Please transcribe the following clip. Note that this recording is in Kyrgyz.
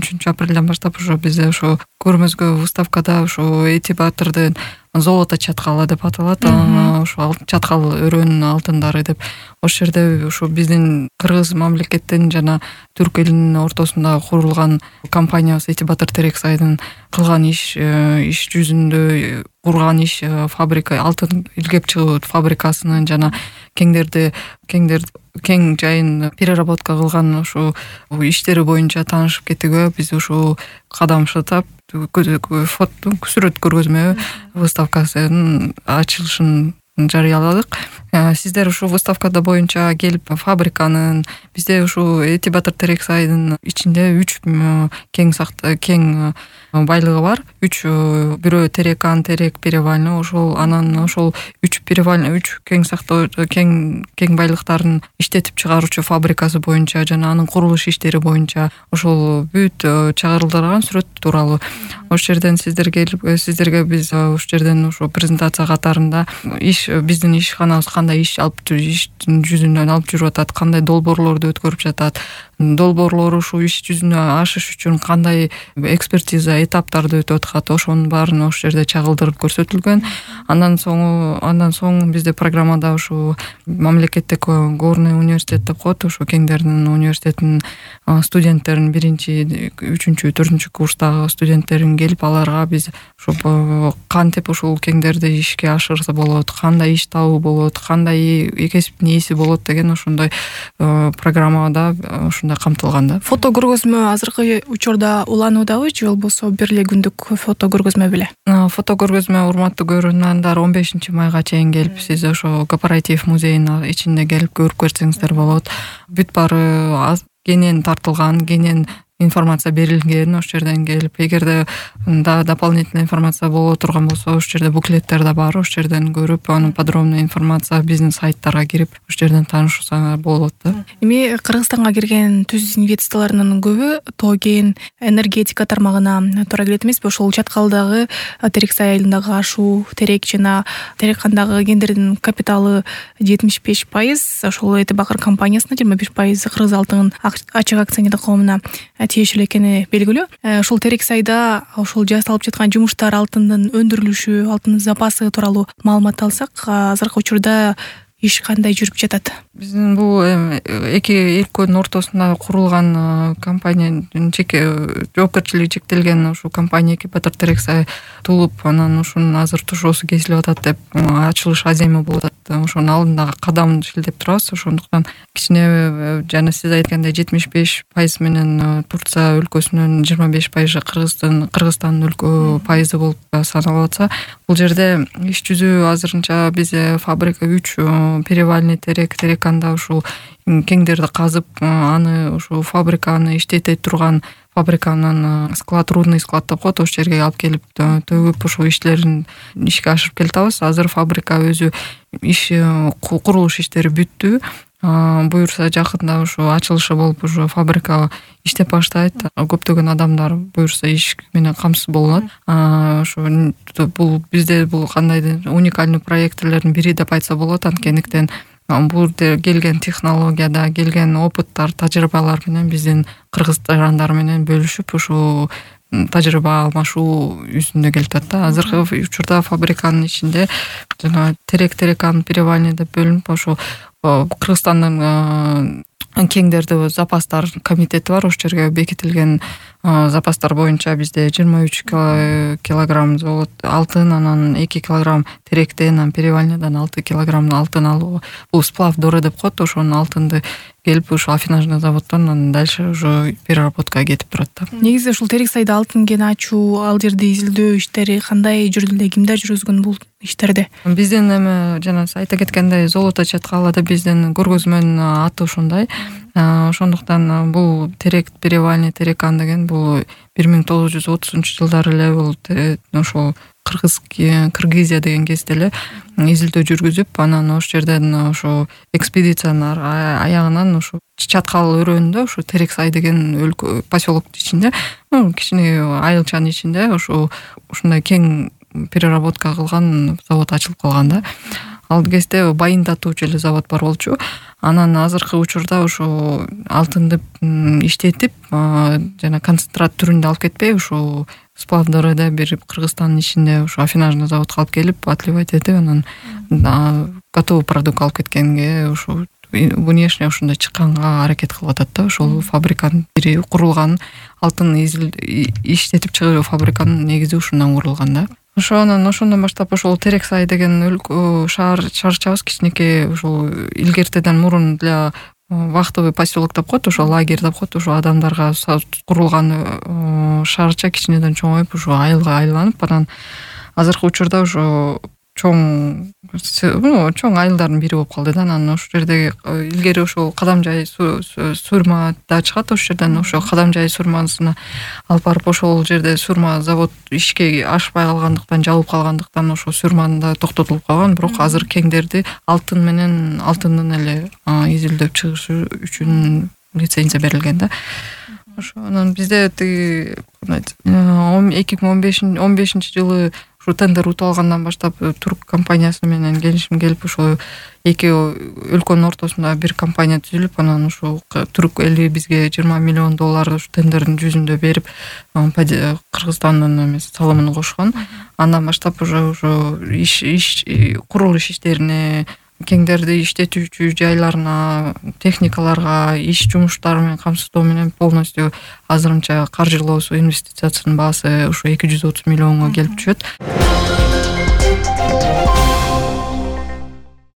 13-апрелден баштап уже бизде ошо көрмөзгө выставкада ошо Эти Батырдын золото чаткалы деп аталат. Ошо чаткал өрөөнүн алтындары деп. Ошол жерде ошо биздин кыргыз мамлекеттин жана түрк элинин ортосунда курулган компаниябыз Эти Батыр Терексайдын кылган иш жүзүндө курган иш фабрика, алтын илгеп чыгуу фабрикасынын жана кең жайын переработка кылган ошо иштери боюнча таанышып кеттик. Биз ушул кадам шытап сүрөт көргөзмө выставкасынын ачылышын жарыяладык. Сиздер ушул выставкада боюнча келип фабриканын, бизде ушул Эти Батыр Терексайдын ичинде 3 кең байлыгы бар. 3 бирөө терекан, терек, перевальный, анан 3 перевальный, 3 кең байлыктарын иштетип чыгаруучу фабрикасы боюнча жана анын курулуш иштери боюнча ошол бүт чагырылдырган сүрөт тууралуу. Ошол жерден сиздерге биз ошол жерден ошо презентация катарында биздин ишканабыз кандай иш жүзүнөн алып жүрүп атат, кандай долбоорлорду өткөрүп жатат, долбоорлор ушул иш жүзүнө ашыш үчүн кандай экспертиза этаптарды өтүп атат, ошонун баарын ошол жерде чагылдырып көрсөтүлгөн. Андан соң бизде программада ушул мамлекеттик горный университет деп коет, ошо кеңдердин университетинин студенттерин 1-3, 4 курстагы студенттерин келип, аларга биз ошо кантип ушул кеңдерди ишке ашырса болот, кандай иш табуу болот, кандай кесиптин ээси болот деген ошондой программада ушундай камтылган да. Фото көргөзмө азыркы учурда улануудабы же болбосо бир эле күндүк фото көргөзмө беле? Фото көргөзмө урматтуу көрөрмандар 15-майга чейин келип, сиз ошо кооператив музейинин ичинде келип көрүп көрсөңүздөр болот. Бүт баары кенен тартылган, кенен информация берилген. Ошол жерден келип, эгерде дополнительный информация боло турган болсо, ошол жерде буклеттер да бар, ошол жерден көрүп, анын подробный информация биздин сайттарга кирип, ошол жерден таанышсаңар болот да. Эми Кыргызстанга кирген түз инвестициялардын көбү тоген энергетика тармагына туура келет эмеспи? Ошол Чаткалдагы Терексай айылындагы ашуу, терек жана тереккандагы кендердин капиталы 75%, ошол Эти Батыр компаниясына 25% Кыргыз алтын ачык акционердик коомуна тиешелүү экени белгилүү. Ошол Терексайда ошол жасалып жаткан жумуштар, алтындын өндүрүлүшү, алтын запасы тууралуу маалымат алсак, азыркы учурда иш кандай жүрүп жатат? Биздин бул эки өлкөнүн ортосунда курулган компаниянын жоопкерчилиги чектелген ушул компания Эти Батыр Терексай тулуп, анан ушунун азыр тушоосу кесилип атат деп ачылыш аземи болуп атат. Ошонун алдындагы кадамды шилдеп турабыз. Ошондуктан кичине жана сиз айткандай 75% менен Турция өлкөсүнүн 25% Кыргызстандын пайызы болуп саналып атса, бул жерде иш жүзү азырынча бизде фабрика 3 перевальный тереканда ушул кеңдерди казып, аны ушул фабриканы иштете турган фабриканын рудный склад деп коет, ошол жерге алып келип төгүп ушул иштерин ишке ашырып келатабыз. Азыр фабрика өзү курулуш иштери бүттү. Буюрса жакында ушу ачылышы болуп, ушу фабрика иштеп баштайт. Көптөгөн адамдар буюрса иш менен камсыз болот. Ошо бул бизде бул кандайдыр уникальный проектлердин бири деп айтса болот. Анткендиктен бул келген технологияда келген опыттар, тажрыйбалар менен биздин кыргыз жарандар менен бөлүшүп, ушу тажрыйба алмашуу үстүндө келип атат да. Азыркы учурда фабриканын ичинде жана терекан перевальный деп бөлүнүп, ошо Кыргызстандын кеңдерди запастар комитети бар. Ошол жерге бекитилген запастар боюнча бизде 23 килограмм алтын, анан 2 килограмм теректен, анан перевальныйдан 6 килограмм алтын алуу. Бул сплав доры деп коет, ошонун алтынды келип ушу афинажный заводдон анан дальше уже переработкага кетип турат да. Негизи ушул Терексайда алтын кен ачуу, ал жерди изилдөө иштери кандай жүрдү эле, кимдер жүргүзгөн бул иштерди? Биздин эми жана айта кеткендей золото чаткалы деп биздин көргөзмөнүн аты ошондой. Ошондуктан бул терек перевальный терекан деген бул 1930-жылдары эле бул ошол Кыргызия деген кезде эле изилдөө жүргүзүп, анан ошол жерден ошо экспедициянын аягынан ошо Чаткал өрөөнүндө ошо Терексай деген өлкө поселоктун ичинде, кичине айылчанын ичинде ошо ушундай кең переработка кылган завод ачылып калган да. ал кезде байындатуучу эле завод бар болчу. Анан азыркы учурда ушу алтынды иштетип жана концентрат түрүндө алып кетпей ушу сплавдарды берип Кыргызстандын ичинде ушу афинажный заводко алып келип отливать этип анан готовый продукт алып кеткенге ушу внешне ушундай чыкканга аракет кылып атат да. Ошол фабриканын бири курулган, алтын иштетип чыгуу фабриканын негизи ушундан курулган да. Ошондон баштап ошол Терексай деген шаарчабыз кичинекей ушул илгертеден мурун для вахтовый поселок деп коет, ошо лагерь деп коет, ошо адамдарга курулган шаарча кичинеден чоңоюп ушу айылга айланып, анан азыркы учурда ошо чоң айылдардын бири болуп калды да. Анан ошол жерде илгери ошол Кадамжай сурма да чыгат, ошол жерден ошо Кадамжай сурмасына алып барып ошол жерде сурма завод ишке ашпай калгандыктан, жабылып калгандыктан ошо сурманы да токтотулуп калган. Бирок азыр кеңдерди алтын менен алтындын эле изилдеп чыгышы үчүн лицензия берилген да. Ошо анан бизде 2015-жылы ушу тендер утуп алгандан баштап турк компаниясы менен келишим келип, ошо эки өлкөнүн ортосунда бир компания түзүлүп, анан ушу турк эли бизге $20 миллион ушу тендердин жүзүндө берип, Кыргызстандын салымын кошкон. Андан баштап ошо курулуш иштерине, кеңдерди иштетүүчү жайларына, техникаларга, иш жумуштары менен камсыздоо менен полностью азырынча каржылоосу, инвестициясынын баасы ушу $230 миллионго келип түшөт.